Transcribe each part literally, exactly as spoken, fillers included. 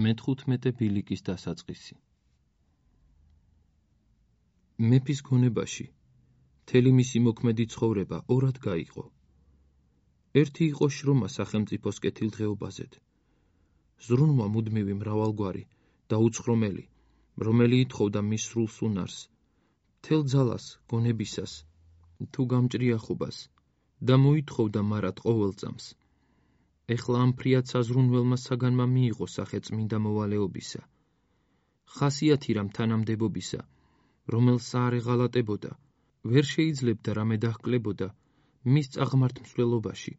მეთხუთმეტე ბილიკის დასაწყისი. მეფის გონებაში მთელი მისი მოქმედი ცხოვრება ორად გაიყო. ერთი იყო შრომა სახელმწიფოს კეთილდღეობაზედ. ზრუნვა მუდმივი მრავალგვარი და უცხრომელი, რომელი ითხოვდა მის სრულს უნარს, მთელ ძალას, გონებისას, თუ გამჭრიახობას და მოითხოვდა მარად ყოველ წამს. ეხლა ამ ფრიად საზრუნველმა საგანმა მიიღო სახე წმინდა მოვალეობისა. ხასიათი რამ თანამდებობისა, რომელს არ ეღალატებოდა, ვერ შეიძლებდა რამე დაჰკლებოდა მის წაღმართ მსვლელობაში.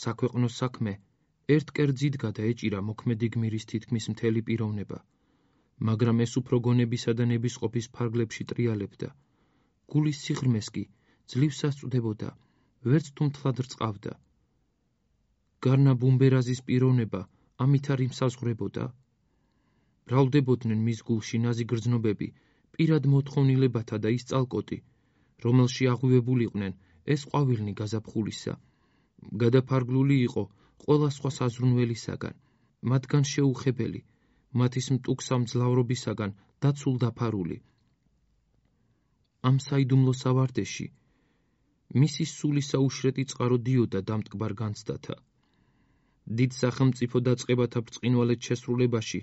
საქვეყნო საქმე ერთ კერძიდგა და ეჭირა მოქმედი გმირის თითქმის მთელი პიროვნება, მაგრამ ეს უფრო გონებისა და ნებისყოფის ფარგლებში ტრიალებდა. გულის სიღრმეს კი ძლივ სასწვდებოდა, ვერც თუ მთლად რწყავდა. გარნა ბუმბერაზის პიროვნება ამით არ იმსაზღვრებოდა. მრავლდებოდნენ მის გულში ნაზი გრძნობები, პირად მოთხოვნილებათა და ის წალკოტი, რომელში აღვივებულიყვნენ ეს ყვავილნი გაზაფხულისა. გადაფარგლული იყო ყველა სხვა საზრუნველისაგან, მათგან შეუხებელი, მათის მტუქსა მძლავრობისაგან დაცულ დაფარული. ამ საიდუმლო სავარდეში მისი სულისა უშრეტი წყარო დიოდა დამტკბარ განცდათა. დიდ სახელმწიფო დაწყებათა ბრწყინვალედ შესრულებაში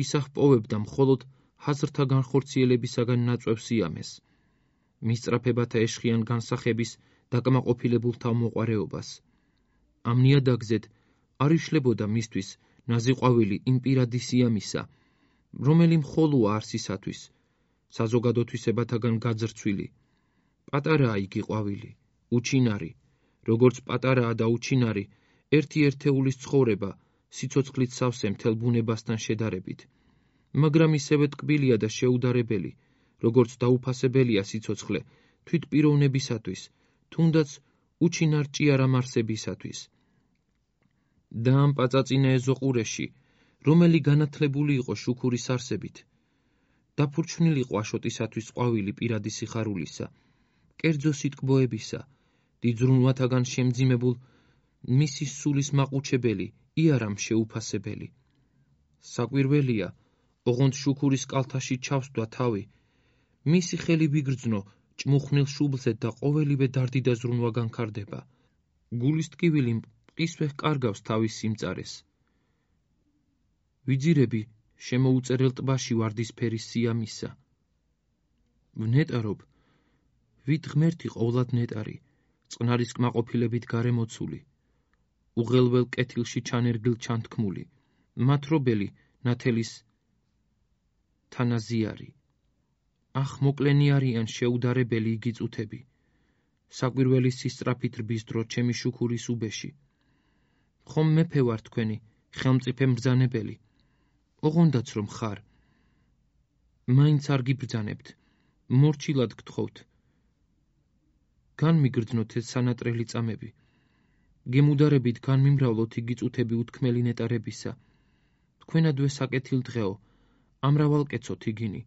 ის აღპოვებდა მხოლოდ ჰაზრთა განხორციელებისაგან ნაწვევ სიამეს, მისწრაფებათა ეშხიან განსახების დაკმაყოფილებულთა მოყვარეობას. ამ ნიადაგზედ არ იშლებოდა მისთვის ნაზი ყვავილი იმ პირადი სიამისა, რომელი მხოლოა არსისათვის, საზოგადოთვისებათაგან გაძრცვილი. პატარაა იგი ყვავილი, უჩინარი, როგორც პატარაა და უჩინარი ერთი ერთეულის ცხოვრება სიცოცხლით სავსე მთელ ბუნებასთან შედარებით, მაგრამ ისევე ტკბილია და შეუდარებელი, როგორც დაუფასებელია სიცოცხლე თვით პიროვნებისათვის, თუნდაც უჩინარ ჭიარამ არსებისათვის. და ამ პაწაწინა ეზოყურეში, რომელი განათლებული იყო შუქურის არსებით, დაფურჩნილი იყო აშოტისათვის ყვავილი პირადი სიხარულისა, კერძო სიტკბოებისა, დიდ ზრუნვათაგან შემძიმებულ მისი სულის მაყუჩებელი, იარამ შეუფასებელი. საკვირველია, ოღონდ შუქურის კალთაში ჩავსდვა თავი, მისი ხელი ვიგრძნო ჭმუხნილ შუბლზე და ყოველივე დარდი და ზრუნვა განქარდება. გულის ტკივილი მყისვე ჰკარგავს თავის სიმწარეს. ვიძირები შემოუწერელ ტბაში ვარდისფერის სიამისა. ვნეტარობ, ვით ღმერთი ყოვლად ნეტარი, წყნარის კმაყოფილებით გარემოცული, უღელველ კეთილში ჩანერგილ ჩანთქმული, მათრობელი ნათელის თანაზიარი. ახ მოკლენი არიან შეუდარებელი იგი წუთები, საკვირველის სისწრაფით რბის დრო ჩემი შუქურის უბეში. ხომ მეფე ვარ თქვენი, ხელმწიფე მბრძანებელი, ოღონდაც რომ ხარ. მაინც არ გიბრძანებთ, მორჩილად გთხოვთ. განმიგრძნოთ ეს სანატრელი წამები, გემუდარებით განმიმრავლოთ იგი წუთები უთქმელი ნეტარებისა. თქვენადვე საკეთილდღეო, ამრავალკეცოთ იგინი.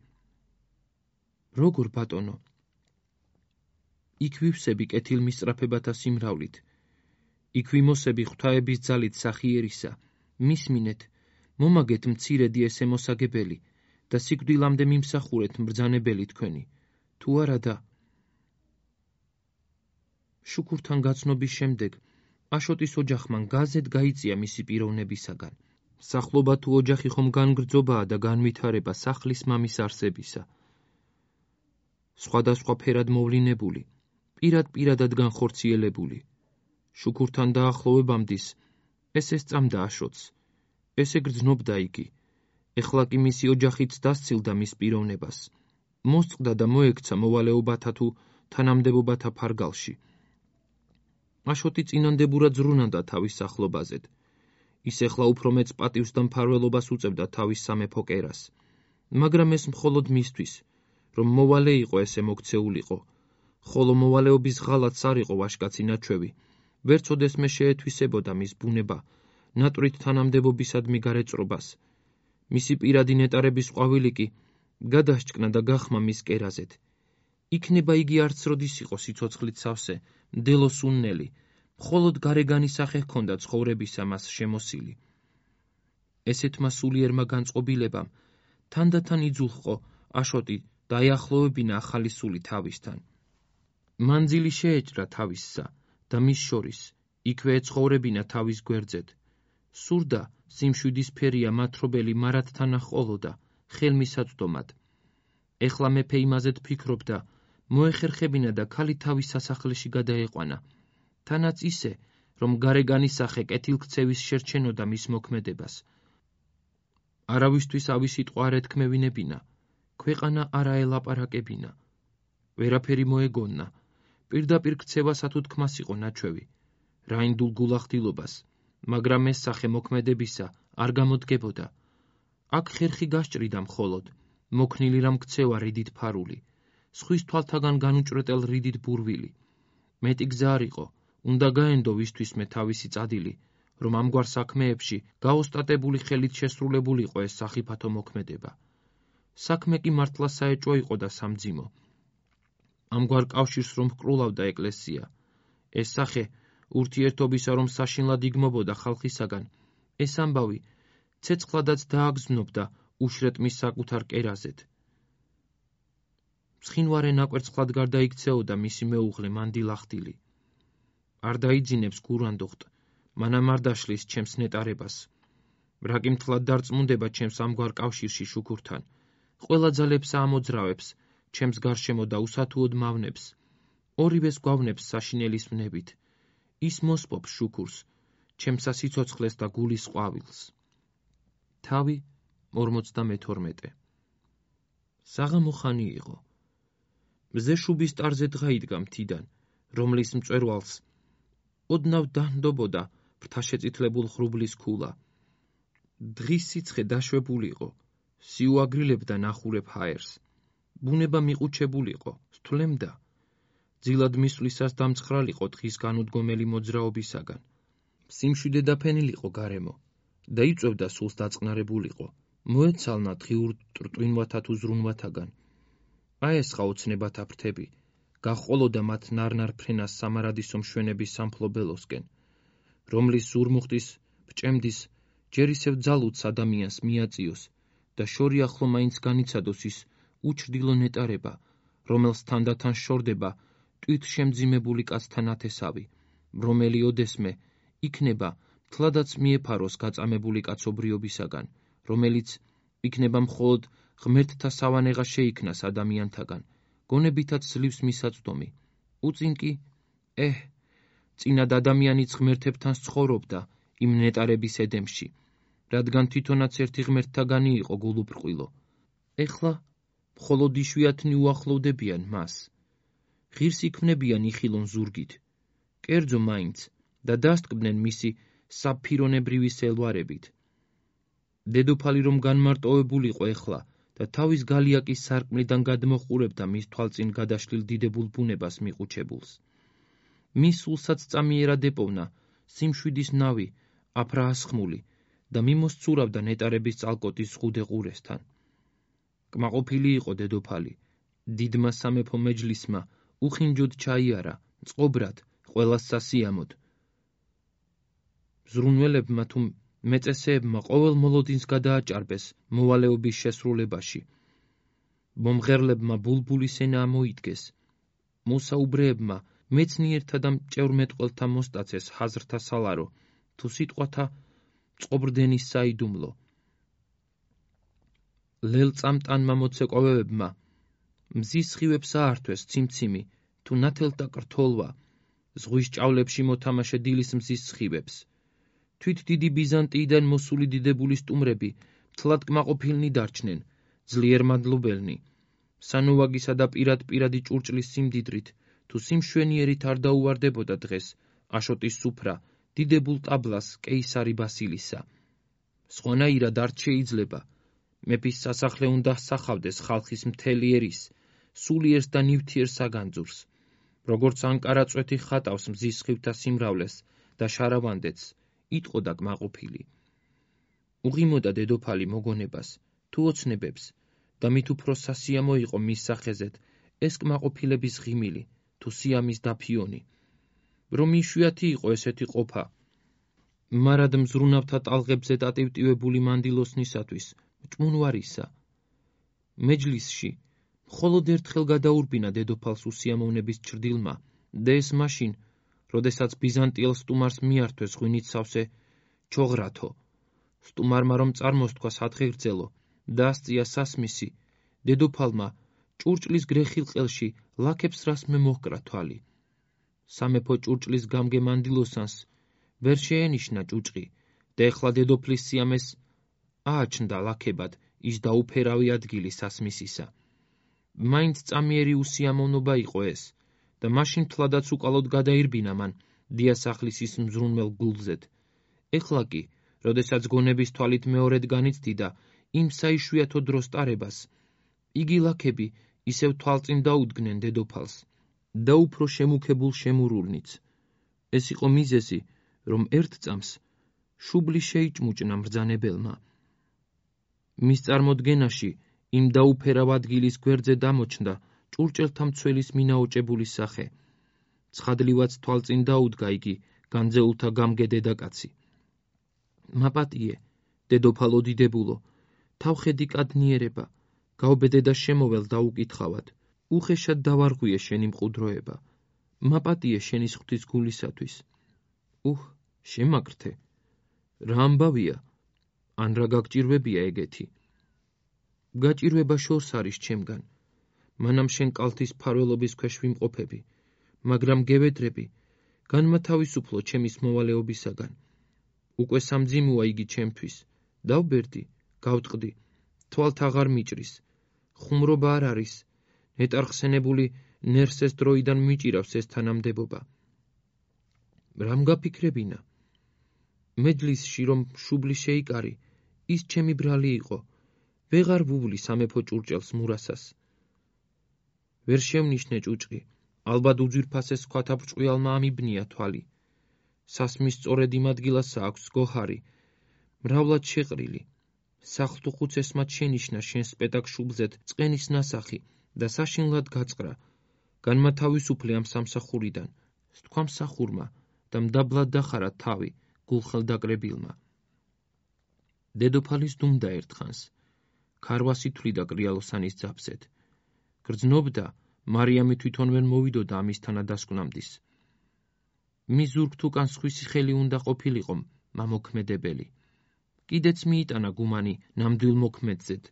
როგორ ბატონო? იქ ვივსები კეთილ მისწრაფებათა სიმრავლით, იქ ვიმოსები ღვთაების ძალით სახიერისა, მისმინეთ, მომაგეთ მცირედი ესე მოსაგებელი და სიკვდილამდე მიმსახურეთ მბრძანებელი თქვენი, თუ არა და. შუქურთან გაცნობის შემდეგ აშოტის ოჯახმან გაზეთ გაიწია მისი პიროვნებისაგან. სახლობა თუ ოჯახი ხომ განგრძობაა და განვითარება სახლის მამის არსებისა. სხვადასხვა ფერად მოვლინებული, პირად პირადად განხორციელებული. შუქურთან დაახლოვებამდის ეს ესწამდა აშოტს, ესე გრძნობდა იგი, ეხლა კი მისი ოჯახიც დასცილდა მის პიროვნებას, მოსწყდა და მოექცა მოვალეობათა თუ თანამდებობათა ფარგალში. აშოტი წინანდებურად ზრუნავდა თავის სახლობაზედ. ის ეხლა უფრო მეծ პატივს და მფარველობას უწევდა თავის სამეფო კერას, მაგრამ ეს მხოლოდ მისთვის, რომ მოვალე იყო ესე მოქცეულიყო, ხოლო მოვალეობის ღალატს არ იყო ვაჟკაცი ნაჩვევი, ვერც ოდესმე შეეთვისებოდა მის ბუნება, ნატრით თანამდებობისადმი გარეწრობას. მისი პირადი ნეტარების ყვავილი კი გადასჭკნა და გახმა მის კერაზედ. იქნება იგი არც როდის იყო სიცოცხლით სავსე, მდელოს უნნელი, მხოლოდ გარეგანი სახე ჰქონდა ცხოვრებისა მას შემოსილი. ესეთმა სულიერმა განწყობილებამ თანდათან იძულყო აშოტი დაეახლოვებინა ახალი სული თავისთან. მანძილი შეეჭრა თავისსა და მის შორის იქვე ეცხოვრებინა თავის გვერდზეთ. სურდა სიმშვიდის ფერია მათრობელი მარადთან აჰყოლოდა ხელმისაწვდომად. ეხლა მეფე იმაზეთ ფიქრობდა, მოეხერხებინა და ქალი თავის სასახლეში გადაეყვანა, თანაც ისე, რომ გარეგანის სახე კეთილქცევის შერჩენოდა მის მოქმედებას. არავისთვის ავი სიტყვა არ ეთქმევინებინა, ქვეყანა არ აელაპარაკებინა, ვერაფერი მოეგონა, პირდაპირ ქცევასა თუ თქმას იყო ნაჩვევი, რაინდულ გულახდილობას, მაგრამ ეს სახე მოქმედებისა არ გამოდგებოდა. აქ ხერხი გასჭრიდა მხოლოდ, მოქნილი რამ ქცევა რიდით ფარული, სხვის თვალთაგან განუჭრეტელ რიდით ბურვილი. მეტი გზა არ იყო, უნდა გაენდო ვისთვისმე თავისი წადილი, რომ ამგვარ საქმეებში გაოსტატებული ხელით შესრულებულიყო ეს სახიფათო მოქმედება. საქმე კი მართლა საეჭვო იყო და სამძიმო. ამგვარ კავშირს რომ ჰკრულავდა ეკლესია, ეს სახე ურთიერთობისა რომ საშინლად იგმობოდა ხალხისაგან, ეს ამბავი ცეცხლადაც დააგზნობდა უშრეთ მის საკუთარ კერაზეთ. ცხინვარე ნაკვერცხლად გარდაიქცეოდა მისი მეუღლე მანდილახტილი. არ დაიძინებს გურანდუხტ, მანამ არ დაშლის ჩემს ნეტარებას. რა კი მთლად დარწმუნდება ჩემს ამგვარ კავშირში შუქურთან, ყველა ძალებსა ამოძრავებს, ჩემს გარშემო და უსათუოდ მავნებს, ორივეს გვავნებს საშინელის ვნებით. ის მოსპობს შუქურს, ჩემსა სიცოცხლეს და გულის ყვავილს. თავი ორმოცდამეთორმეტე. საღამო ხანი იყო. მზე შუბის ტარზე დღა იდგა მთიდან, რომლის მწვერვალს ოდნავ დაჰნდობოდა ფრთაშეწითლებულ ხრუბლის ქულა. დღის სიცხე დაშვებულიყო, სიუაგრილებდა ნახურებ ჰაერს. ბუნება მიყუჩებულიყო, სთვლემდა. ძილად მისვლისას დამცხრალიყო დღის განუდგომელი მოძრაობისაგან. სიმშვიდე დაფენილიყო გარემო და იწვევდა სულს დაწყნარებულიყო, მოეცალნა დღიურ ტრტვინვათა თუ ზრუნვათაგან. აესხა ოცნებათა ფრთები, გაჰყოლოდა მათ ნარნარ ფრენას სამარადისო მშვენების სამფლობელოსკენ, რომლის ზურმუხტის, ბჭემდის, ჯერ ისევ ძალუც ადამიანს მიაწიოს და შორი ახლო მაინც განიცადოს ის უჩრდილო ნეტარება, რომელს თანდათან შორდება ტვით შემძიმებული კაცთან ათესავი, რომელი ოდესმე იქნება მთლადაც მიეფაროს გაწამებული კაცობრიობისაგან, რომელიც იქნება მხოლოდ ღმერთთა სავანეღა შეიქმნას ადამიანთაგან, გონებითაც ძლივს მისაწვდომი. უწინ კი, ეჰ, წინად ადამიანიც ღმერთებთან ცხოვრობდა იმ ნეტარების ედემში, რადგან თვითონაც ერთი ღმერთთაგანი იყო გულუბრყვილო. ეხლა მხოლოდ იშვიათნი უახლოვდებიან მას. ღირს იქმნებიან იხილონ ზურგით, კერძო მაინც და დასტკბნენ მისი საფირონებრივი სელვარებით. დედოფალი რომ განმარტოვებულიყო ეხლა და თავის გალიაკის სარკმლიდან გადმოჰყურებდა მის თვალწინ გადაშლილ დიდებულ ბუნებას მიყუჩებულს. მის სულსაც წამიერად ეპოვნა სიმშვიდის ნავი, აფრაასხმული და მიმოსცურავდა ნეტარების წალკოტის ზღუდე ყურესთან. კმაყოფილი იყო დედოფალი, დიდმა სამეფო მეჯლისმა უხინჯოდ ჩაიარა, წყობრად, ყველას სასიამოდ. ზრუნველებმა თუ მეწესეებმა ყოველ მოლოდინს გადააჭარბეს მოვალეობის შესრულებაში. მომღერლებმა ბულბულის ენა ამოიდგეს. მოსაუბრეებმა მეცნიერთა და მჭევრმეტყველთა მოსტაცეს ხაზრთა სალარო, თუ სიტყვათა წყობრდენის საიდუმლო. ლელწამტანმა მოცეკვავებმა მზის სხივებს აართვეს ციმციმი, თუ ნათელთა კრთოლვა, ზღვის ჭავლებში მოთამაშე დილის მზის სხივებს. თვით დიდი ბიზანტიიდან მოსული დიდებული სტუმრები მთლად კმაყოფილნი დარჩნენ, ძლიერ მადლობელნი, სანოვაგისა და პირად-პირადი ჭურჭლის სიმდიდრით, თუ სიმშვენიერით არ დაუვარდებოდა დღეს აშოტის სუფრა დიდებულ ტაბლას კეისარი ბასილისა. სხვანაირად არ შეიძლება, მეფის სასახლე უნდა სახავდეს ხალხის მთელი ერის, სულიერს და ნივთიერ საგანძურს, როგორც ანკარა წვეთი ხატავს მზის სხივთა სიმრავლეს და შარავანდეთს, იტყოდა კმაყოფილი. უღიმოდა დედოფალი მოგონებას, თუ ოცნებებს და მით უფრო სასიამო იყო მის სახეზეთ ეს კმაყოფილების ღიმილი, თუ სიამის დაფიონი. რომ იშვიათი იყო ესეთი ყოფა, მარად მზრუნავთა ტალღებზე დატივტივებული მანდილოსნისათვის მჭმუნვარისა. მეჯლისში მხოლოდ ერთხელ გადაურბინა დედოფალს უსიამოვნების ჩრდილმა და ეს მაშინ, როდესაც ბიზანტიელ სტუმარს მიართვეს ღვინით სავსე ჩოღრათო. სტუმარმა რომ წარმოსთქვა სათხიღრძელო და ასწია სასმისი, დედოფალმა ჭურჭლის გრეხილ ყელში ლაქებს რასმე მოჰკრა თვალი. სამეფო ჭურჭლის გამგე მანდილოსანს ვერ შეენიშნა ჭუჭყი და ეხლა დედოფლის სიამეს ააჩნდა ლაქებად ის დაუფერავი ადგილი სასმისისა. მაინც წამიერი უსიამოვნობა იყო ეს და მაშინ თლადაც უკალოდ გადაირბინა მან დიასახლისის მზრუნველ გულზედ. ეხლა კი, როდესაც გონების თვალით მეორედ განიცდიდა იმ საიშვიათო დროს ტარებას, იგი ლაქები ისევ თვალწინ დაუდგნენ დედოფალს და უფრო შემუქებულ შემურულნიც. ეს იყო მიზეზი, რომ ერთ წამს შუბლი შეიჭმუჭნა მბრძანებელმა. მის წარმოდგენაში იმ დაუფერავ ადგილის გვერდზე დამოჩნდა ჭურჭელთა მცველის მინაოჭებული სახე. ცხადლივაც თვალწინ დაუდგა იგი განძეულთა გამგე დედაკაცი. მაპატიე, დედოფალო დიდებულო, თავხედი კადნიერება, გავბედე და შემოვალ დაუკითხავად, უხეშად დავარღვიე შენი მყუდროება. მაპატიე შენის ღვთის გულისათვის. უჰ, შემაგრթե. რა ამბავია? ან რა გაგჭირვებია ეგეთი? გაჭირვება შორს არის ჩემგან. მანამ შენ კალთის ფარველობის ქვეშ ვიმყოფები, მაგრამ გევედრები, განმათავისუფლო ჩემის მოვალეობისაგან. უკვე სამძიმოა იგი ჩემთვის. დავბერდი, გავტყდი, თვალთ აღარ მიჭრის. ხუმრობა არ არის, ნეტარხსენებული ნერსეს დროიდან მიჭირავს ეს თანამდებობა. რამ გაფიქრებინა? მეჯლისში რომ შუბლი შეიკარი, ის ჩემი ბრალი იყო. ვეღარ ვუვლი სამეფო ჭურჭელს მურასას. ვერ შევნიშნე ჭუჭყი, ალბათ უძვირფასეს სხვათა ბრჭყვიალმა ამიბნია თვალი. სასმის სწორედ იმ ადგილასა აქვს გოჰარი, მრავლად შეყრილი. სახლთუხუცესმა შენიშნა შენ სპეტაკ შუბლზედ წყენის ნასახი და საშინლად გაწყრა. განმათავისუფლე ამ სამსახურიდან, სთქვა მსახურმა და მდაბლად დახარა თავი გულხელდაკრებილმა. დედოფალის დუმდა ერთხანს. ქარვასი თვლიდა კრიალოსანის ძაფსეთ. გრძნობდა, მარიამი თვითონ ვერ მოვიდოდა ამის თანადასკვნამდის. მის ზურგთ უკან სხვისი ხელი უნდა ყოფილიყო მამოქმედებელი. კიდეც მიიტანა გუმანი ნამდვილ მოქმედზედ,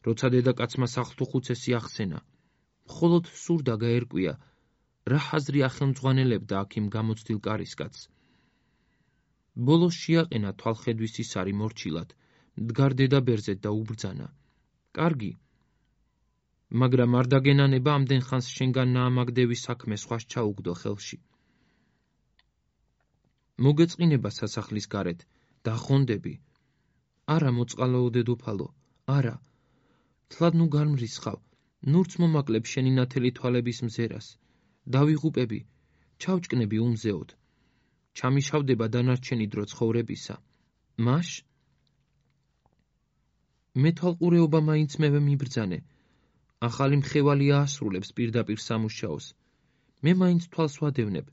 როცა დედაკაცმა სახლთუხუცესი ახსენა. მხოლოდ სურდა გაერკვია, რა ხაზრი ახელმძღვანელებდა აქ იმ გამოცდილ კარისკაცს. ბოლოს შეაყენა თვალხედვის ისარი მორჩილად, მდგარ დედაბერზე და უბრძანა. კარგი, მაგრამ არ დაგენანება ამდენ ხანს შენგან ნაამაგდევის საქმე სხვას ჩაუგდო ხელში. მოგეწყინება სასახლის გარეთ, დახონდები. არა მოწყალაო დედოფალო, არა. თლად ნუ გამრისხავ, ნურც მომაკლებ შენი ნათელი თვალების მზერას. დავიღუპები, ჩავჭკნები უმზეოდ. ჩამიშავდება დანარჩენი დრო ცხოვრებისა. მაშ? მეთვალყურეობა მაინც მევე მიბრძანე. ახალი მხევალი აასრულებს პირდაპირ სამუშაოს. მე მაინც თვალს ვადევნებ.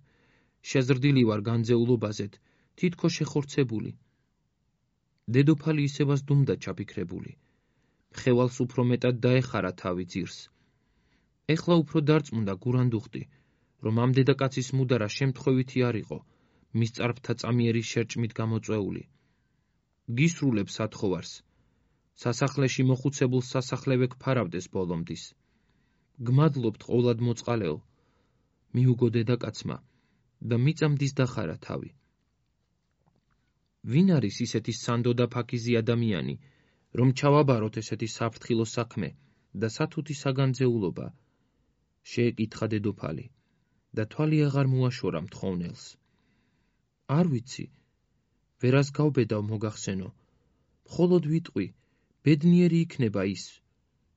შეზრდილი ვარ განძეულობაზეთ, თითქოს შეხორცებული. დედოფალი ისევაც დუმდა ჩაფიქრებული. მხევალს უფრო მეტად დაეხარა თავი ძირს. ეხლა უფრო დარწმუნდა გურანდუხტი, რომ ამ დედაკაცის მუდარა შემთხვევითი არ იყო, მის წარბთა წამიერი შერჭმით გამოწვეული. გისრულებს ათხოვარს. სასახლეში მოხუცებულ სასახლევე გფარავდეს ბოლომდის. გმადლობთ ყოვლად მოწყალეო, მიუგო დედაკაცმა და მიწამდის დახარა თავი. ვინ არის ისეთი სანდო და ფაქიზი ადამიანი, რომ ჩავაბაროთ ესეთი საფრთხილო საქმე და სათუთი საგანძეულობა? შეეკითხა დედოფალი და თვალი აღარ მოაშორა მთხოვნელს. არ ვიცი, ვერას გავბედავ მოგახსენო, მხოლოდ ვიტყვი, ბედნიერი იქნება ის,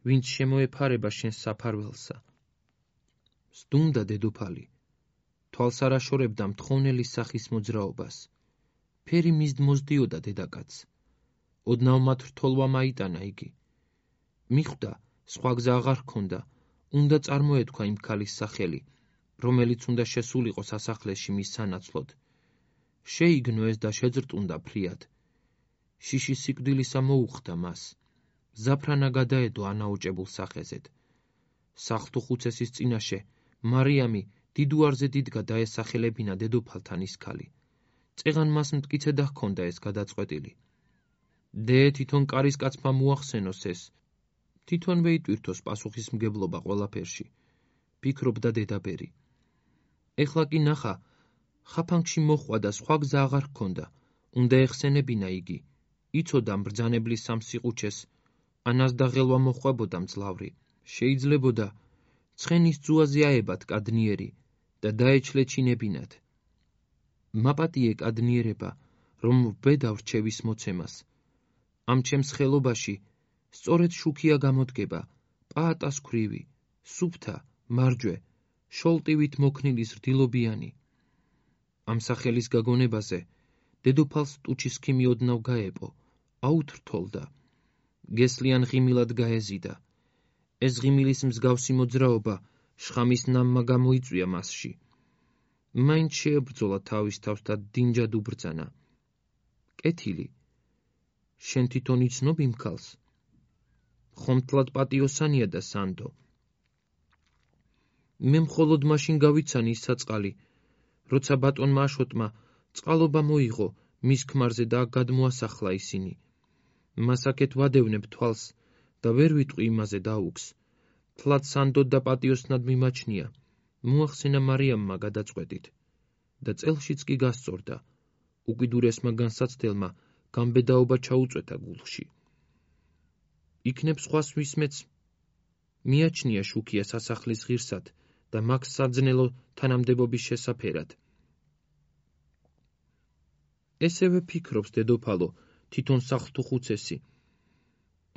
ვინც შემოეფარება შენს საფარველსა. სდუმდა დედოფალი, თვალს არ აშორებდა მთხოვნელის სახის მოძრაობას. ფერი მისდ მოსდიოდა დედაკაცს. ოდნავ მათ რთოლვა მაიტანა იგი. მიხვდა, სხვა გზა აღარ ჰქონდა, უნდა წარმოეთქვა იმ ქალის სახელი, რომელიც უნდა შესულიყო სასახლეში მის სანაცვლოდ. შეიგნო ეს და შეძრტუნდა ფრიად. შიში სიკვდილისა მოუხდა მას. ზაფრანა გადაედო ანაოჭებულ სახეზედ. სახლთუხუცესის წინაშე მარიამი დიდუარზე დიდგა დაესახელებინა დედოფალთან ის ქალი. წეღან მას მტკიცე და ჰქონდა ეს გადაწყვეტილი. დე თვითონ კარისკაცმა მოახსენოს ეს. თვითონვე იტვირთოს პასუხისმგებლობა ყველაფერში. ფიქრობდა დედაბერი. ეხლა კი ნახა, ხაფანგში მოხვა და სხვა გზა აღარ ჰქონდა. უნდა ეხსენებინა იგი. იცოდა მბრძანებლის სამსიყუჩეს, ანას და ღელვა მოხვებოდა მძლავრი. შეიძლებოდა ცხენის ძუაზე აებად კადნიერი და დაეჩლეჩინებინათ. მაპატიე კადნიერება, რომ ვბედავ რჩევის მოცემას. ამ ჩემს ხელობაში სწორედ შუქია გამოდგება, პაატას ქვრივი, სუფთა, მარჯვე, შოლტივით მოქნილი ზრდილობიანი. ამ სახელის გაგონებაზე დედოფალს ტუჩისქი მიოდნავ გაეპო, აუთრთოლდა. გესლიან ღიმილად გაეზიდა. ეს ღიმილის მსგავსი მოძრაობა შხამის ნამმა გამოიწვია მასში. მაინც შეებრძოლა თავის თავს და დინჯად უბრძანა. კეთილი, შენ თვითონ იცნობ იმ ქალს? ხომთლად პატიოსანია და სანდო. მე მხოლოდ მაშინ გავიცანი ის საწყალი, როცა ბატონმა აშოტმა წყალობა მოიღო მის ქმარზე და გადმოასახლა ისინი. მას აქეთ ვადევნებ თვალს და ვერ ვიტყვი იმაზე დაუქს. თლად სანდო და პატიოსნად მიმაჩნია, მოახსენა მარიამმა გადაწყვეტით და წელშიც კი გასწორდა. უკიდურესმა განსაცდელმა გამბედაობა ჩაუწვეთა გულში. იქნებ სხვას ვისმეც მიაჩნია შუქია სასახლის ღირსად და მაგ საძნელო თანამდებობის შესაფერად. ესევე ფიქრობს დედოფალო თვითონ სახლთუხუცესი.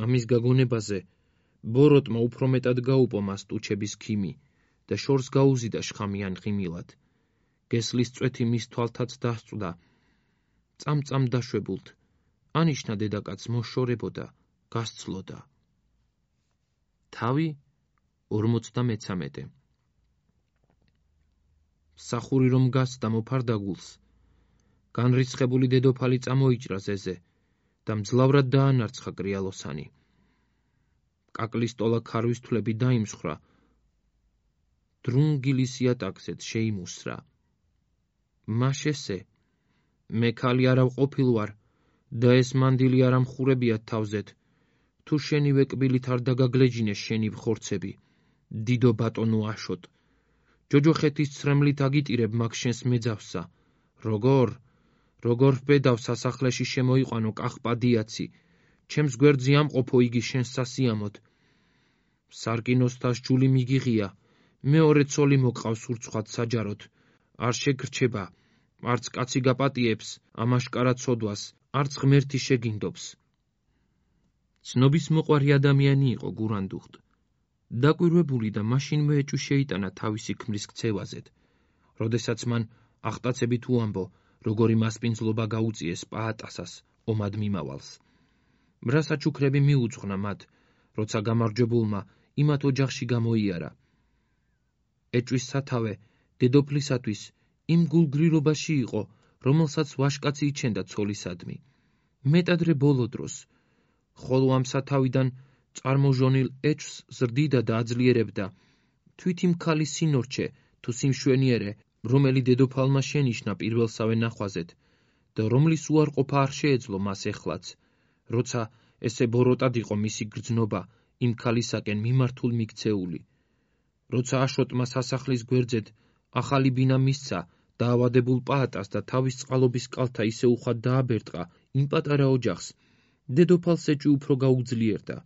ამის გაგონებაზე ბოროტმა უფრო მეტად გაუპო მას ტუჩების ქიმი და შორს გაუზიდა შხამიან ღიმილად. გესლის წვეთი მის თვალთაც დასწვდა. წამწამ დაშვებულთ, ანიშნა დედაკაც მოშორებოდა, გასცლოდა. თავი ორმოცდამეცამეტე. მსახური რომ გასცდა მოფარდა გულს. განრისხებული დედოფალი წამოიჭრა ზეზე და მძლავრად დაანარცხა კრიალოსანი. კაკლის ტოლა ქარვის თვლები დაიმსხრა. დრუნგილის იატაკზეც შეიმუსრა. მაშესე, მე ქალი არა ვყოფილ ვარ და ეს მანდილი არ ამხურებია თავზეთ. თუ შენივე კბილით არ დაგაგლეჯინეს შენი ხორცები, დიდო ბატონო აშოტ. ჯოჯოხეთის ცრემლით აგიტირებ მაგ შენს მეძავსა. როგორ, როგორ ვბედავ სასახლეში შემოიყვანო კახპადიაცი, ჩემს გვერდზე ამყოფო იგი შენს სასიამოდ. სარკინოსთას ჯული მიგიღია, მეორე ცოლი მოგყავს ურცხვად საჯაროდ, არ შეგრჩება, არც კაცი გაპატიებს ამაშკარა ცოდვას, არც ღმერთი შეგინდობს. ცნობის მოყვარი ადამიანი იყო გურანდუხტ. დაკვირვებული და მაშინვე ეჭვი შეიტანა თავისი ქმრის ქცევაზედ. როდესაც მან ახტაცებით უამბო, როგორი მასპინძლობა გაუწიეს პაატასას ომად მიმავალს. მრა საჩუქრები მიუძღვნა მათ, როცა გამარჯვებულმა იმათ ოჯახში გამოიარა. ეჭვის სათავე დედოფლისათვის იმ გულგრილობაში იყო, რომელსაც ვაშკაცი იჩენდა ცოლისადმი. მეტადრე ბოლო დროს, ხოლო ამ სათავიდან წარმოჟონილ ეჭვს ზრდიდა და აძლიერებდა თვით იმ ქალის სინორჩე თუ სიმშვენიერე, რომელი დედოფალმა შენიშნა პირველსავე ნახვაზეთ და რომლის უარყოფა არ შეეძლო მას ეხლაც, როცა ესე ბოროტად იყო მისი გრძნობა იმ ქალისაკენ მიმართულ მიქცეული. როცა აშოტმა სასახლის გვერდზედ ახალი ბინა მისცა დაავადებულ პაატას და თავის წყალობის კალთა ისე უხვად დააბერტყა იმ პატარა ოჯახს, დედოფალს ეჭვი უფრო გაუძლიერდა.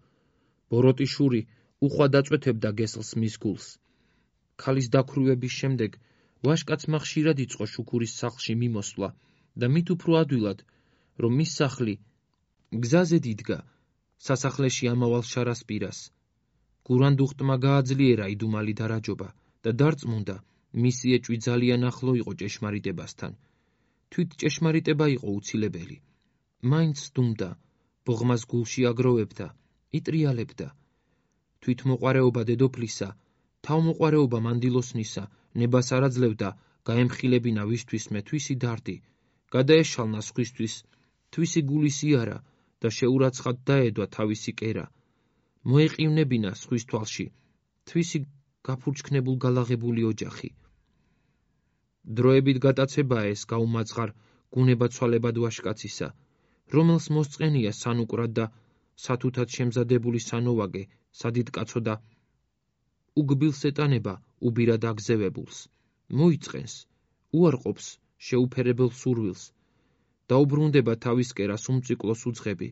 ბოროტი შური უხვად აწვეთებდა გესლს მის გულს. ქალის დაქვრივების შემდეგ ვაშკაცმა ხშირად იწყო შუქურის სახლში მიმოსვლა და მით უფრო ადვილად, რომ მის სახლი გზაზე დიდგა სასახლეში ამავალ შარასპირას. გურანდუხტმა გააძლიერა იდუმალი დარაჯობა და დარწმუნდა, მისი ეჭვი ძალიან ახლო იყო ჭეშმარიტებასთან. თვით ჭეშმარიტება იყო უცილებელი. მაინც სდუმდა, ბოღმას გულში აგროვებდა, იტრიალებდა. თვით მოყვარეობა დედოფლისა, თავმოყვარეობა მანდილოსნისა, ნებას არ აძლევდა გაემხილებინა ვისთვისმე თვისი დარდი, გადაეშალნა სხვისთვის, თვისი გულის იარა და შეურაცხად დაედვა თავისი კერა. მოეყივნებინა სხვის თვალში, თვისი გაფურჩქნებულ გალაღებული ოჯახი. დროებით გატაცებაა ეს გაუმაძღარ გუნება-ცვალებად ვაშკაცისა, რომელს მოსწყენია სანუკრად და სათუთად შემზადებული სანოვაგე, სადიდკაცო და უგბილს ეტანება უბირად აგზევებულს, მოიწყენს, უარყოფს შეუფერებელ სურვილს, დაუბრუნდება თავის კერას უმწიკლოს უძღები,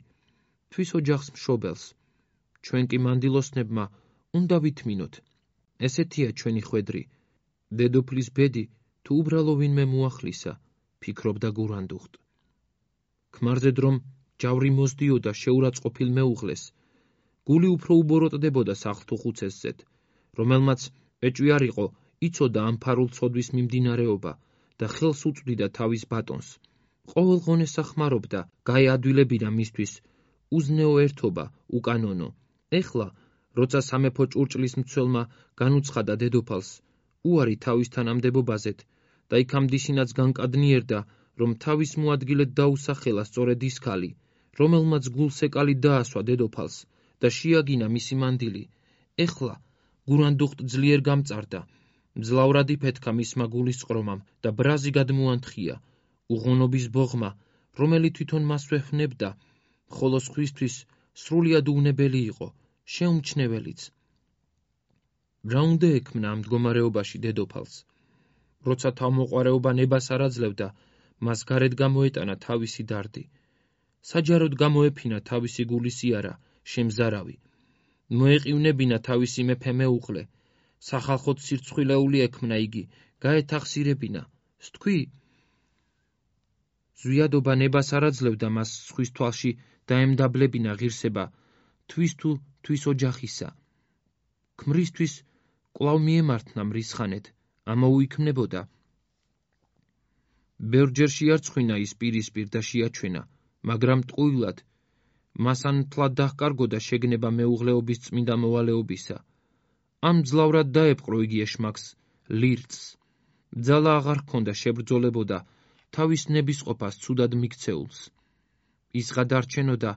თვის ოჯახს მშობელს. ჩვენ კი მანდილოსნებმა უნდა ვითმინოთ, ესეთია ჩვენი ხვედრი, დედოფლის ბედი თუ უბრალო ვინმე მოახლისა, ფიქრობდა გურანდუხტ. ქმარზედ რომ ჯავრი მოსდიოდა შეურაცხყოფილ მეუღლეს, გული უფრო უბოროტდებოდა სახლთუხუცესზედ, რომელმაც ეჭვი არ იყო იცოდა ამ ფარულ ცოდვის მიმდინარეობა და ხელს უწვდიდა თავის ბატონს. ყოველ ღონეს ახმარობდა გაეადვილებინა მისთვის უზნეო ერთობა უკანონო. ეხლა, როცა სამეფო ჭურჭლის მცველმა განუცხადა დედოფალს უარი თავის თანამდებობაზეთ და იქამდე ისინაც განკადნიერდა, რომ თავის მოადგილედ დაუსახელა სწორედ ის ქალი, რომელმაც გულსეკალი დაასვა დედოფალს და შეაგინა მისი მანდილი, ეხლა გურანდუხტ ძლიერ გამწარდა, მძლავრად იფეთქა მისმა გულისწყრომამ და ბრაზი გადმოანთხია, უღონობის ბოღმა, რომელიც თვითონ მას ვეფნებდა, ხოლო სხვისთვის სრულიად უვნებელი იყო, შეუმჩნეველიც. რა უნდა ექმნა ამ მდგომარეობაში დედოფალს? როცა თავმოყვარეობა ნებას არ აძლევდა, მას გარეთ გამოეტანა თავისი დარდი. საჯაროდ გამოეფინა თავისი გულის იარა, შემზარავი. მოეყივნებინა თავისი მეფე მეუღლე, სახალხოდ სირცხვილეული ექმნა იგი, გაეთახსირებინა, სთქვი? ზვიადობა ნებას არ აძლევდა მას სხვის თვალში დაემდაბლებინა ღირსება, თვის თუ თვის ოჯახისა. ქმრისთვის კვლავ მიემართნა მრისხანეთ, ამოუიქმნებოდა. ბევრჯერ შეარცხვინა ის პირისპირ და შეაჩვენა, მაგრამ ტყუილად, მას ან მთლად დაჰკარგოდა შეგნება მეუღლეობის წმინდა მოვალეობისა. ამ ძლავრად დაეპყრო იგი ეშმაკს, ლირწს. ბძალა აღარ ჰქონდა შებრძოლებოდა თავის ნებისყოფას ცუდად მიქცეულს. ის გადარჩენოდა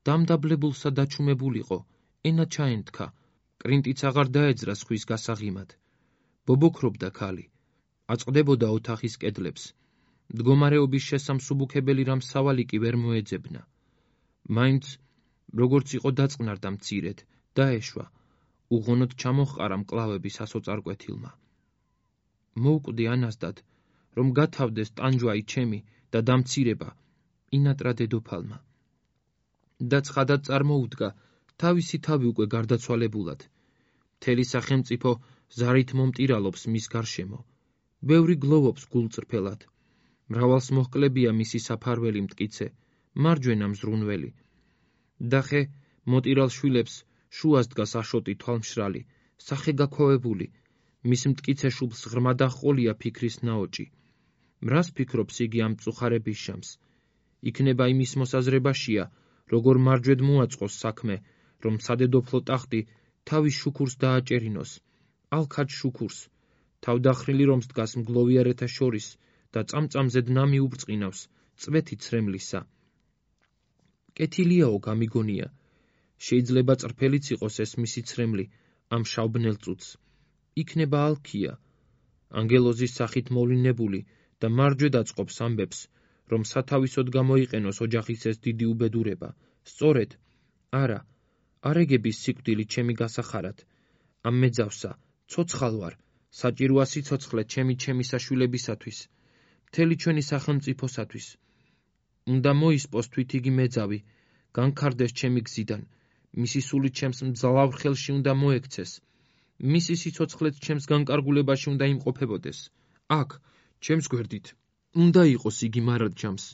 დამდაბლებულსა დაჩუმებულიყო, ენა ჩაენთქა, კრინტიც აღარ დაეძრა სხვის გასაღიმად. ბობოქრობდა ქალი, აწყდებოდა ოთახის კედლებს. მდგომარეობის შესამსუბუქებელი რამ სავალი კი ვერ მოეძებნა. მაინც, როგორც იყო დაწყნარდა მცირედ, დაეშვა, უღონოდ ჩამოჰყარა მკლავების ასოწარკვეთილმა. მოუკვდი ანაზდად, რომ გათავდეს ტანჯვაი ჩემი და დამცირება, ინატრა დედოფალმა. და ცხადად წარმოუდგა თავისი თავი უკვე გარდაცვალებულად. მთელი სახელმწიფო ზარით მომტირალობს მის გარშემო. ბევრი გლოვობს გულწრფელად. მრავალს მოჰკლებია მისი საფარველი მტკიცე, მარჯვენა მზრუნველი. დახე მოტირალ შვილებს შუას დგას აშოტი თვალმშრალი, სახე გაქვავებული, მის მტკიცე შუბლს ღრმა დაჰყოლია ფიქრის ნაოჭი. მრას ფიქრობს იგი ამ მწუხარების შამს? იქნება იმის მოსაზრებაშია, როგორ მარჯვედ მოაწყოს საქმე, რომ სადედოფლო ტახტი თავის შუქურს დააჭერინოს, ალქაჯ შუქურს, თავდახრილი რომს დგას მგლოვიარეთა შორის და წამწამზედ ნამი უბწყინავს წვეთი ცრემლისა. კეთილიაო გამიგონია, შეიძლება წრფელიც იყოს ეს მისი ცრემლი ამ შავბნელ წუთს. იქნება ალქია, ანგელოზის სახით მოვლინებული და მარჯვედ აწყობს ამბებს, რომ სათავისოდ გამოიყენოს ოჯახის ეს დიდი უბედურება. სწორედ, არა, არეგების სიკვდილი ჩემი გასახარად. ამ მეძავსა, ცოცხალ ვარ, საჭიროა სიცოცხლე ჩემი ჩემი საშვილებისათვის, მთელი ჩვენი სახელმწიფოსათვის. უნდა მოისპოს თვით იგი მეძავი, განქარდეს ჩემი გზიდან, მისი სული ჩემს მძლავრ ხელში უნდა მოექცეს, მისი სიცოცხლეც ჩემს განკარგულებაში უნდა იმყოფებოდეს. აქ, ჩემს გვერდით, უნდა იყოს იგი მარადჯამს,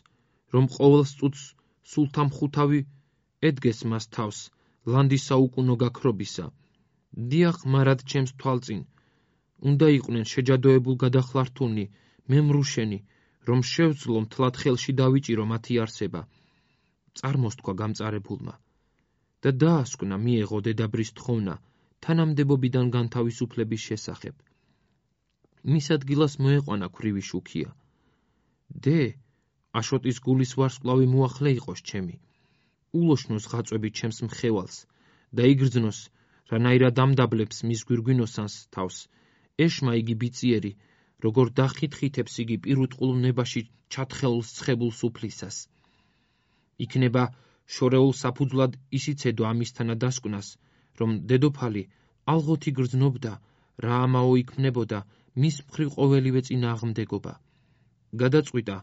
რომ ყოველ წუთს სულთამხუთავი ედგეს მას თავს, ლანდის საუკუნო გაქრობისა. დიახ, მარად ჩემს თვალწინ, უნდა იყვნენ შეჯადოებულ გადახლართულნი, მემრუშენი, რომ შევძლო მთლად ხელში დავიჭირო მათი არსება. წარმოსთქვა გამწარებულმა და დაასკვნა მიეღო დედაბრის თხოვნა თანამდებობიდან განთავისუფლების შესახებ. მის ადგილას მოეყვანა ქვრივი შუქია. დე, აშოტის გულის ვარსკვლავი მოახლე იყოს ჩემი. ულოშნოს ღაწვები ჩემს მხევალს და იგრძნოს, რანაირად ამდაბლებს მის გვირგვინოსანს თავს, ეშმა იგი ბიწიერი, როგორ დახითხითებს იგი პირუტყულ ნებაში ჩათხელს ცხებულ სუფლისას. იქნება შორეულ საფუძვლად ისიცედო ამისთანა დასკვნას, რომ დედოფალი ალღოთ იგრძნობდა, რა ამაო იქმნებოდა მის მხრივ ყოველივე წინააღმდეგობა. გადაწყვიტა,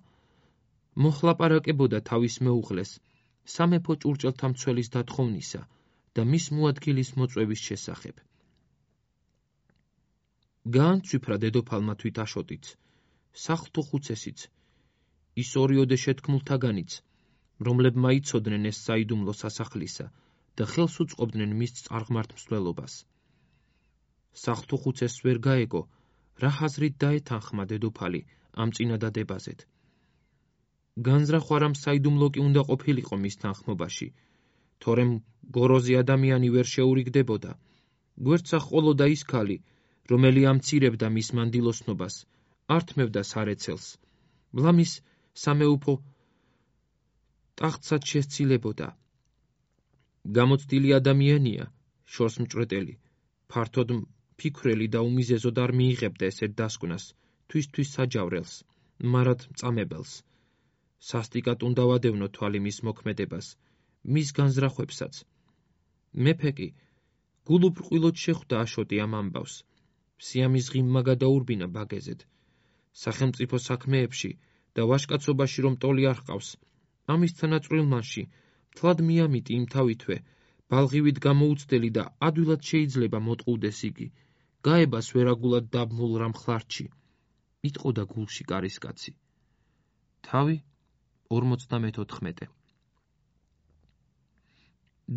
მოხლაპარაკებოდა თავის მეუღლეს, სამეფო ჭურჭელთა მცველის დათხოვნისა და მის მოადგილის მოწვევის შესახებ. გაანცვიფრა დედოფალმა თვით აშოტიც, სახლთო ხუცესიც, ის ორიოდე შეთქმულთაგანიც, რომლებმა იცოდნენ ეს საიდუმლო სასახლისა და ხელს უწყობდნენ მის წარღმართ მსვლელობას. სახლთო ხუცესს ვერ გაეგო, რა ხაზრით დაეთანხმა დედოფალი ამ წინადადებაზედ. განზრახვა რამ საიდუმლო კი უნდა ყოფილიყო მის თანხმობაში, თორემ გოროზე ადამიანი ვერ შეურიგდებოდა. გვერდსა ჰყოლოდა ის ქალი, რომელი ამცირებდა მის მანდილოსნობას, ართმევდა სარეცელს, ლამის სამეუფო ტახტსაც შესცილებოდა. გამოცდილი ადამიანია, შორს მჭვრეტელი, ფართოდ ფიქრელი და უმიზეზოდ არ მიიღებდა ესეთ დასკვნას, თვისთვის საჯავრელს, მარად მწამებელს. სასტიკად უნდა ვადევნო თვალი მის მოქმედებას, მის განზრახვებსაც. მეფე კი გულუბრყვილოდ შეხვდა აშოტი ამ ამბავს. სიამის ღიმმა გადაურბინა ბაგეზედ. სახელმწიფო საქმეებში და ვაჟკაცობაში რომ ტოლი არ ჰყავს, ამის თანაწვრილმანში მთლად მიამიტი იმ თავითვე, ბალღივით გამოუცდელი და ადვილად შეიძლება მოტყუდეს იგი, გაებას ვერაგულად დაბმულ რამ ხლარჩი. იტყოდა გულში კარისკაცი. თავი ორმოცდამეთოთხმეტე.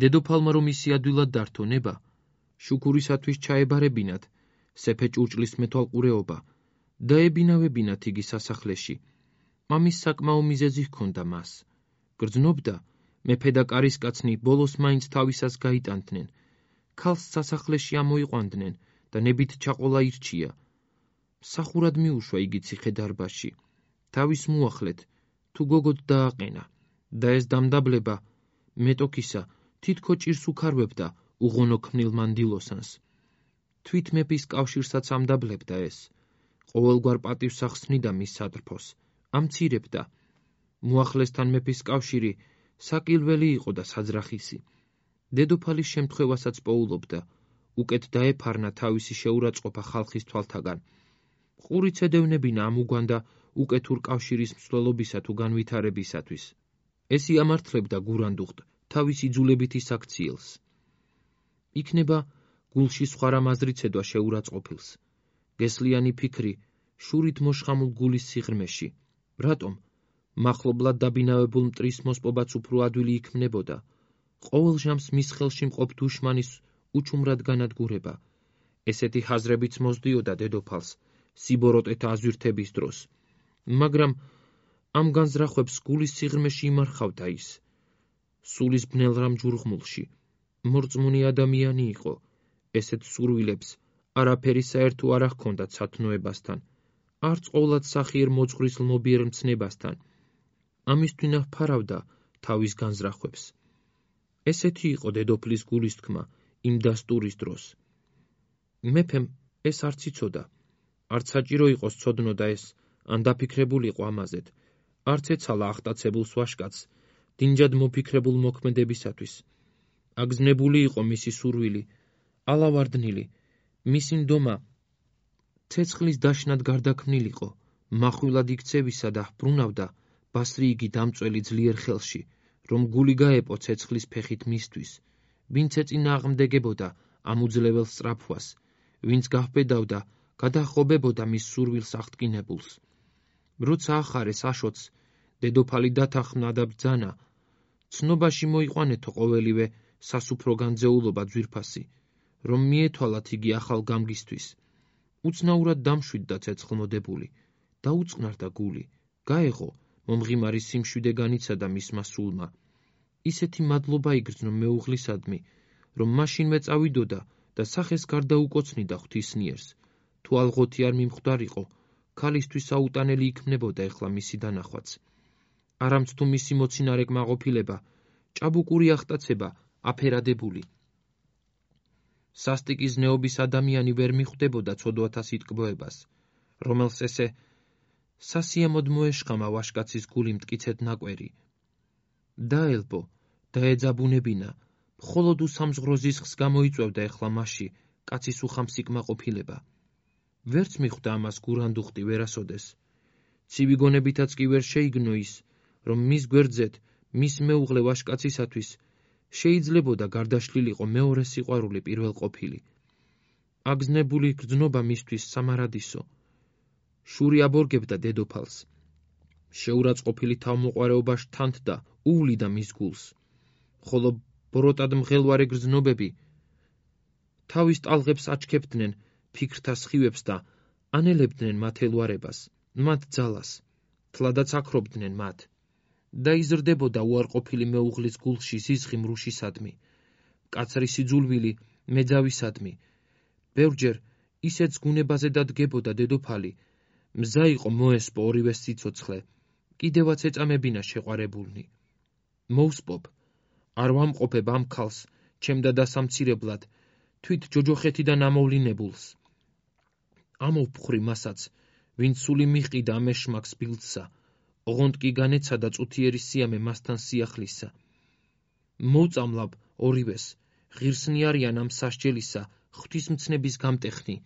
დედოფალმა რომ ისი ადვილად დართო ნება, შუქურისათვის ჩაებარებინათ სეფე ჭურჭლის მეთვალყურეობა და ებინავებინათ იგი სასახლეში. ამის საკმაო მიზეზი ჰქონდა მას. გრძნობდა, მეფე და კარისკაცნი ბოლოს მაინც თავისას გაიტანდნენ, ქალს სასახლეში ამოიყვანდნენ და ნებით ჩაყოლა ირჩია. მსახურად მიუშვა იგი ციხე-დარბაზში. თავის მოახლეთ, თუ გოგოდ დააყენა და ეს დამდაბლება მეტოქისა თითქო ჭირს უქარვებდა უღონო ქმნილ მანდილოსანს. თვით მეფის კავშირსაც ამდაბლებდა ეს. ყოველგვარ პატივს ახსნიდა მის სატრფოს, ამცირებდა. მოახლესთან მეფის კავშირი საკილველი იყო და საძრახისი. დედოფალის შემთხვევასაც პოულობდა, უკეთ დაეფარნა თავისი შეურაცხყოფა ხალხის თვალთაგან. ყურიც ედევნებინა ამ უგვანდა უკეთურ კავშირის მსვლელობისა თუ განვითარებისათვის. ეს იამართლებდა გურანდუხტ თავის იძულებითი საქციელს. იქნება გულში სხვა რამ აზრიცედვა შეურაცხყოფილს. გესლიანი ფიქრი შურით მოშხამულ გულის სიღრმეში. რატომ? მახლობლად დაბინავებულ მტრის მოსპობაც უფრო ადვილი იქმნებოდა. ყოველ ჟამს მის ხელში მყოფ დუშმანის უჩუმრად განადგურება. ესეთი ხაზრებიც მოსდიოდა დედოფალს სიბოროტეთა აზვირთების დროს. მაგრამ ამ განზრახვებს გულის სიღრმეში იმარხავდა ის. სულის ბნელ რამ ჯურღმულში. მორწმუნე ადამიანი იყო. ესეთ სურვილებს არაფერი საერთო არ ჰქონდათ სათნოებასთან, არც ყოვლად სახიერ მოძღვრის ლმობიერ მცნებასთან. ამისთვინა ფარავდა თავის განზრახვებს. ესეთი იყო დედოფლის გულის თქმა იმ დასტურის დროს. მეფემ ეს არც იცოდა, არც საჭირო იყოს ცოდნოდა ეს, ან დაფიქრებულიყო ამაზედ, არც ეცალა ახტაცებულს ვაჟკაცს დინჯად მოფიქრებულ მოქმედებისათვის. აგზნებული იყო მისი სურვილი, ალავარდნილი, მისი ნდომა ცეცხლის დაშნად გარდაქმნილიყო, מחვილად იქცევისა და ბრუნავდა ბასრი იგი დამწველი ძლიერ ხელში, რომ გული გაეპო ცეცხლის ფეხით მისთვის, ვინც ეწინააღმდეგებოდა ამ უძლეველს სწრაფვას, ვინც გაჰბედავდა, გადაჰყობებოდა მის სურვილს აღტკინებულს. როცა ახარეს აშოტს, დედოფალი დათანხმდა და ბრძანა, ცნობაში მოიყვანეთო ყოველივე სასუფრო განძეულობა ძვირფასი, რომ მიეთვალათ იგი ახალ გამგისთვის. უცნაურად დამშვიდდა ცეცხლმოდებული, დაუწყნარდა გული, გაეღო მომღიმარი სიმშვიდე განიცადა მისმა სულმა. ისეთი მადლობა იგრძნო მეუღლისადმი, რომ მაშინვე წავიდოდა და სახეს გარდაუკოცნიდა ღვთისნიერს. თუ ალღოთი არ მიმხვდარიყო, ქალისთვის აუტანელი იქმნებოდა ეხლა მისი დანახვაც. არამც თუ მისი მოცინარე კმაყოფილება, ჭაბუკური ახტაცება, აფერადებული. სასტიკი ზნეობის ადამიანი ვერ მიხვდებოდა ცოდვათა სიტკბოებას, რომელს ესე სასიამოდ მოეშხამა ვაშკაცის გული მტკიცედ ნაკვერი. დაელბო, დაეძაბუნებინა, მხოლოდ უსამზღრო ზისხს გამოიწვევდა ეხლა მასში კაცის უხამსი კმაყოფილება. ვერც მიხვდა ამას გურანდუხტი ვერასოდეს. ცივი გონებითაც კი ვერ შეიგნო ის, რომ მის გვერდზეთ, მის მეუღლე ვაშკაცისათვის შეიძლებოდა გარდაშლილიყო მეორე სიყვარული პირველ ყოფილი. აგზნებული გრძნობა მისთვის სამარადისო. შური აბორგებდა დედოფალს. შეურაცხყოფილი თავმოყვარეობა შთანთდა, უვლიდა მის გულს, ხოლო ბოროტად მღელვარე გრძნობები თავის ტალღებს აჩქებდნენ ფიქრთა სხივებს და ანელებდნენ მათ ელვარებას, მათ ძალას, თლადაც აქრობდნენ მათ. დაიზრდებოდა უარყოფილი მეუღლის გულში ზიზღი მრუშისადმი, მკაცრი სიძულვილი მეძავისადმი. ბევრჯერ ისეთ ზგუნებაზე დადგებოდა დედოფალი, მზა იყო მოესპო ორივეს სიცოცხლე, კიდევაც ეწამებინა შეყვარებულნი. მოუსპობ, არ ვამყოფებ ამ ქალს, ჩემდა დასამცირებლად, თვით ჯოჯოხეთიდან ამოვლინებულს. ამოვფხვრი მასაც, ვინც სული მიყიდა ამ ეშმაკს ბილდსა, ოღონდ კი განეცადა წუთიერი სიამე მასთან სიახლისა. მოვწამლავ ორივეს, ღირსნი არიან ამ სასჯელისა, ღვთისმცნების გამტეხნი,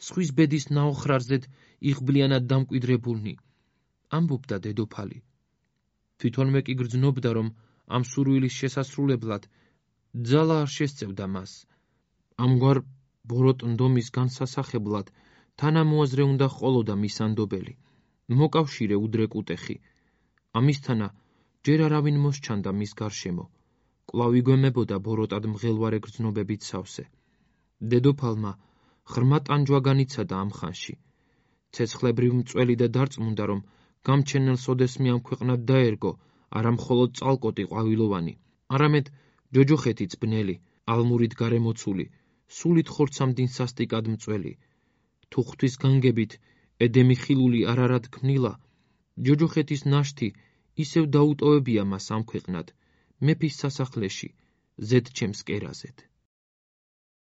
სხვის ბედის ნაოხრარზედ იღბლიანად დამკვიდრებულნი. ამბობდა დედოფალი. თვითონმე კი გრძნობდა, რომ ამ სურვილის შესასრულებლად ძალა არ შესწევდა მას. ამგვარ ბოროტ ნდომის განსასახებლად თანამოაზრე უნდა ჰყოლოდა მის ანდობელი, მოკავშირე უდრეკ უტეხი. ამისთანა ჯერ არავინ მოსჩანდა მის გარშემო, კვლავ იგვემებოდა ბოროტად მღელვარე გრძნობებით სავსე. დედოფალმა ღრმა ტანჯვა განიცადა ამ ხანში. ცეცხლებრივ მწველი და დარწმუნდა, რომ გამჩენელს ოდესმე ამ ქვეყნად დაერგო, არა მხოლოდ წალკოტი ყვავილოვანი, არამედ ჯოჯოხეთიც ბნელი, ალმურით გარემოცული, სულით ხორცამდინ სასტიკად მწველი. თუ ღვთის განგებით ედემი ხილული არ არად ქმნილა, ჯოჯოხეთის ნაშთი ისევ დაუტოვებია მას ამ ქვეყნად, მეფის სასახლეში, ზედ ჩემს კერაზედ.